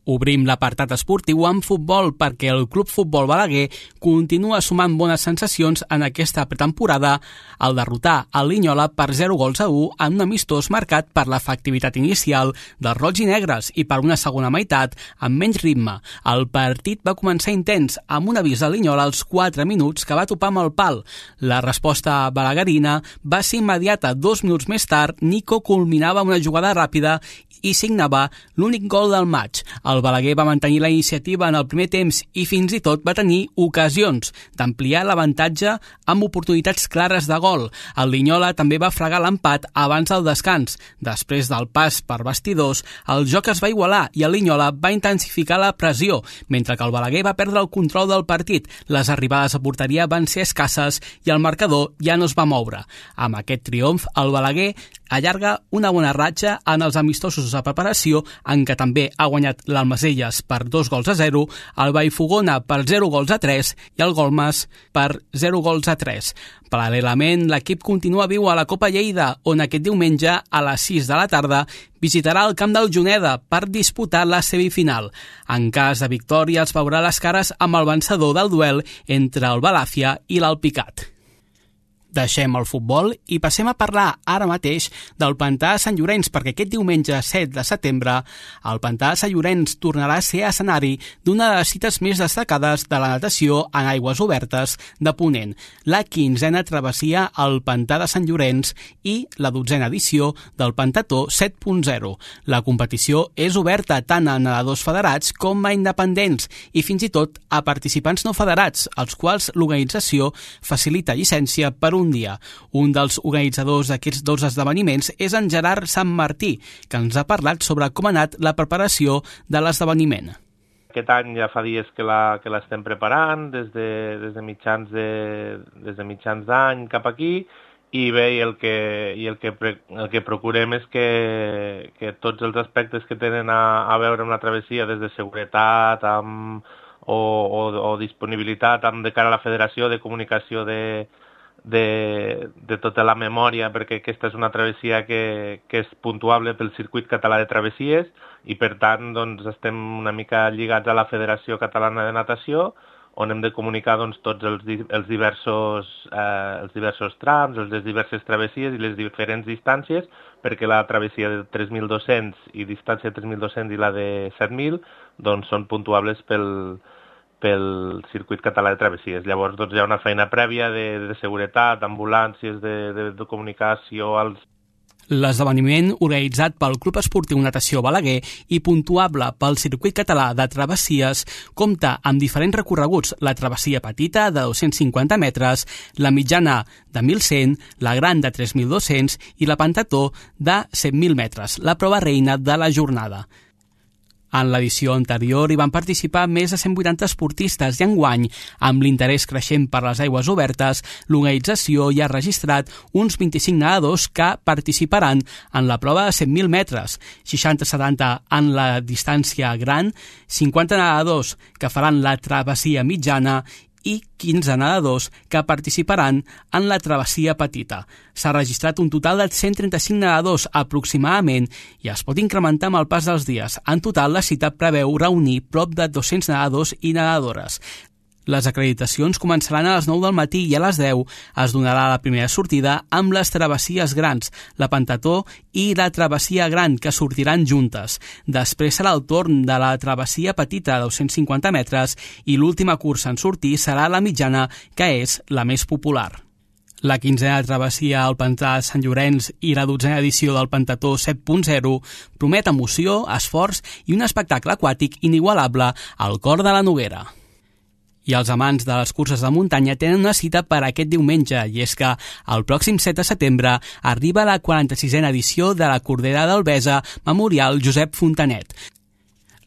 Obrim l'apartat esportiu amb futbol perquè el Club Futbol Balaguer continua sumant bones sensacions en aquesta pretemporada al derrotar el Linyola per zero gols a u en un amistós marcat per l'efectivitat inicial dels roig i negres i per una segona meitat amb menys ritme. El partit va començar intens amb un avís de Linyola als quatre minuts que va topar amb el pal. La resposta balaguerina va ser immediata. Dos minuts més tard, Nico culminava una jugada ràpida i signava l'únic gol del maig. El Balaguer va mantenir la iniciativa en el primer temps i fins i tot va tenir ocasions d'ampliar l'avantatge amb oportunitats clares de gol. El Linyola també va fregar l'empat abans del descans. Després del pas per bastidors, el joc es va igualar i el Linyola va intensificar la pressió, mentre que el Balaguer va perdre el control del partit. Les arribades a porteria van ser escasses i el marcador ja no es va moure. Amb aquest triomf, el Balaguer allarga una bona ratxa en els amistosos de preparació en què també ha guanyat l'Almagí Almacelles per dos gols a zero, el Vallfogona per zero gols a tres i el Golmes per zero gols a tres. Paral·lelament, l'equip continua viu a la Copa Lleida, on aquest diumenge a les sis de la tarda visitarà el camp del Juneda per disputar la semifinal. En cas de victòria, els veurà les cares amb el vencedor del duel entre el Balàfia i l'Alpicat. Deixem el futbol i passem a parlar ara mateix del Pantà de Sant Llorenç, perquè aquest diumenge set de setembre el Pantà de Sant Llorenç tornarà a ser escenari d'una de les cites més destacades de la natació en aigües obertes de Ponent, la quinzena travessia al Pantà de Sant Llorenç i la dotzena edició del Pantató set punt zero. La competició és oberta tant a nedadors federats com a independents i fins i tot a participants no federats, als quals l'organització facilita llicència per un dia. Un dels organitzadors d'aquests dos esdeveniments és en Gerard Sant Martí, que ens ha parlat sobre com ha anat la preparació de l'esdeveniment. Aquest any ja fa dies que la, que l'estem preparant, des de, des de mitjans de, des de mitjans d'any cap aquí, i bé, i el que, i el que, el que procurem és que, que tots els aspectes que tenen a, a veure amb la travessia, des de seguretat amb, o, o, o disponibilitat amb de cara a la federació, de comunicació de De, de tota la memòria, perquè aquesta és una travessia que, que és puntuable pel circuit català de travessies i per tant doncs, estem una mica lligats a la Federació Catalana de Natació, on hem de comunicar doncs, tots els, els, diversos, eh, els diversos trams, les diverses travessies i les diferents distàncies, perquè la travessia de tres mil dos-cents i distància de tres mil dos-cents i la de set mil doncs, són puntuables pel pel circuit català de travessies. Llavors doncs, hi ha una feina prèvia de, de seguretat, ambulàncies, de, de, de comunicació als... L'esdeveniment, organitzat pel Club Esportiu Natació Balaguer i puntuable pel circuit català de travessies, compta amb diferents recorreguts: la travessia petita de dos-cents cinquanta metres, la mitjana de mil cent, la gran de tres mil dos-cents i la Pantató de set mil metres, la prova reina de la jornada. En l'edició anterior hi van participar més de cent vuitanta esportistes i enguany, amb l'interès creixent per les aigües obertes, l'organització ja ha registrat uns vint-i-cinc nedadors que participaran en la prova de set mil metres, seixanta setanta en la distància gran, cinquanta nedadors que faran la travessia mitjana i quinze nedadors que participaran en la travessia petita. S'ha registrat un total de cent trenta-cinc nedadors aproximadament i es pot incrementar amb el pas dels dies. En total, la cita preveu reunir prop de dos-cents nedadors i nedadores. Les acreditacions començaran a les nou del matí i a les deu es donarà la primera sortida amb les travessies grans, la Pantató i la travessia gran, que sortiran juntes. Després serà el torn de la travessia petita de dos-cents cinquanta metres i l'última cursa en sortir serà la mitjana, que és la més popular. La quinzena travessia al Pantà de Sant Llorenç i la dotzena edició del Pantató set punt zero promet emoció, esforç i un espectacle aquàtic inigualable al cor de la Noguera. I els amants de les curses de muntanya tenen una cita per aquest diumenge, i és que el pròxim set de setembre arriba la quaranta-sisena edició de la Cordera d'Albesa Memorial Josep Fontanet.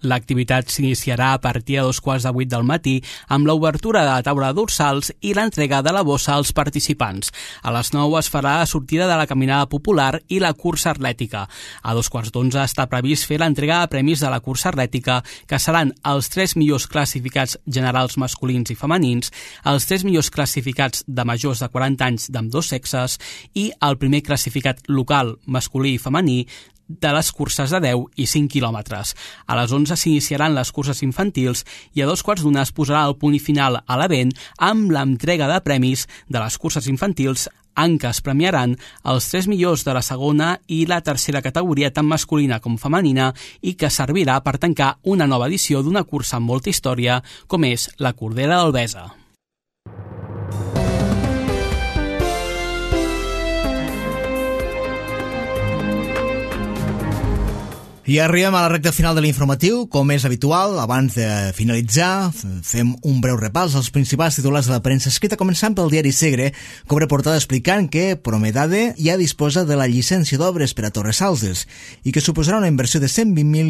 L'activitat s'iniciarà a partir de dos quarts de vuit del matí amb l'obertura de la taula de dorsals i l'entrega de la bossa als participants. A les nou es farà la sortida de la caminada popular i la cursa atlètica. A dos quarts d'onze està previst fer l'entrega de premis de la cursa atlètica, que seran els tres millors classificats generals masculins i femenins, els tres millors classificats de majors de quaranta anys d'ambdós sexes i el primer classificat local masculí i femení de les curses de deu i cinc quilòmetres. A les onze s'iniciaran les curses infantils i a dos quarts d'una es posarà el punt final a l'event amb l'entrega de premis de les curses infantils, en què es premiaran els tres millors de la segona i la tercera categoria, tant masculina com femenina, i que servirà per tancar una nova edició d'una cursa amb molta història com és la Cordera d'Albesa. I arribem a la recta final de l'informatiu. Com és habitual, abans de finalitzar, fem un breu repàs als principals titulars de la premsa escrita, començant pel diari Segre, que obre portada explicant que Promedade ja disposa de la llicència d'obres per a Torres Salses i que suposarà una inversió de cent vint mil...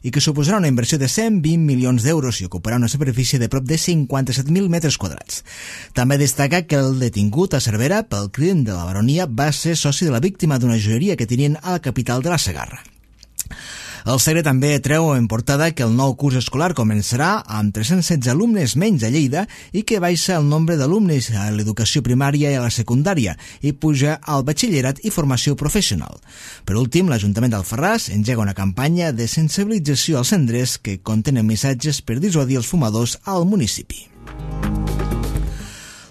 i que suposarà una inversió de cent vint milions d'euros i ocuparà una superfície de prop de cinquanta-set mil metres quadrats. També destaca que el detingut a Cervera pel crim de la baronia va ser soci de la víctima d'una joieria que tenien a la capital de la Segarra. El Segre també treu en portada que el nou curs escolar començarà amb tres-cents setze alumnes menys a Lleida i que baixa el nombre d'alumnes a l'educació primària i a la secundària i puja al batxillerat i formació professional. Per últim, l'Ajuntament d'Alfarràs engega una campanya de sensibilització als cendrers que contenen missatges per dissuadir els fumadors al municipi.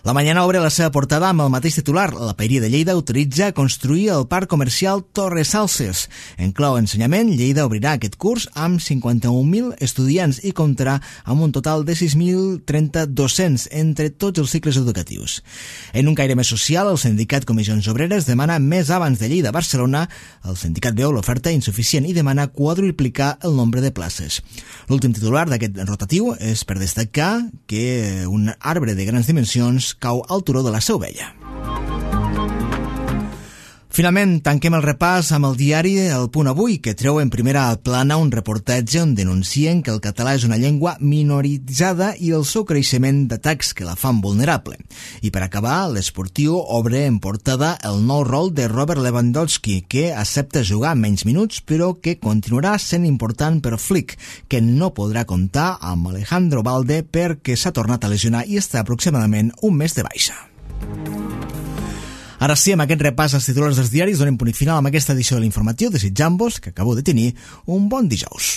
La Mañana obre la seva portada amb el mateix titular. La Paeria de Lleida autoritza construir el parc comercial Torres Salses. En clau ensenyament, Lleida obrirà aquest curs amb cinquanta-un mil estudiants i comptarà amb un total de sis mil trenta docents entre tots els cicles educatius. En un caire més social, el sindicat Comissions Obreres demana més abans de Lleida a Barcelona. El sindicat veu l'oferta insuficient i demana quadruplicar el nombre de places. L'últim titular d'aquest rotatiu és per destacar que un arbre de grans dimensions cau al turó de la Seu Vella. Finalment, tanquem el repàs amb el diari El Punt Avui, que treu en primera plana un reportatge on denuncien que el català és una llengua minoritzada i el seu creixement d'atacs que la fan vulnerable. I per acabar, l'Esportiu obre en portada el nou rol de Robert Lewandowski, que accepta jugar menys minuts, però que continuarà sent important per Flick, que no podrà comptar amb Alejandro Balde perquè s'ha tornat a lesionar i està aproximadament un mes de baixa. Ara sí, amb aquest repàs als titulars dels diaris donem punt final amb aquesta edició de l'informatiu, desitjant-vos, que acabeu de tenir, un bon dijous.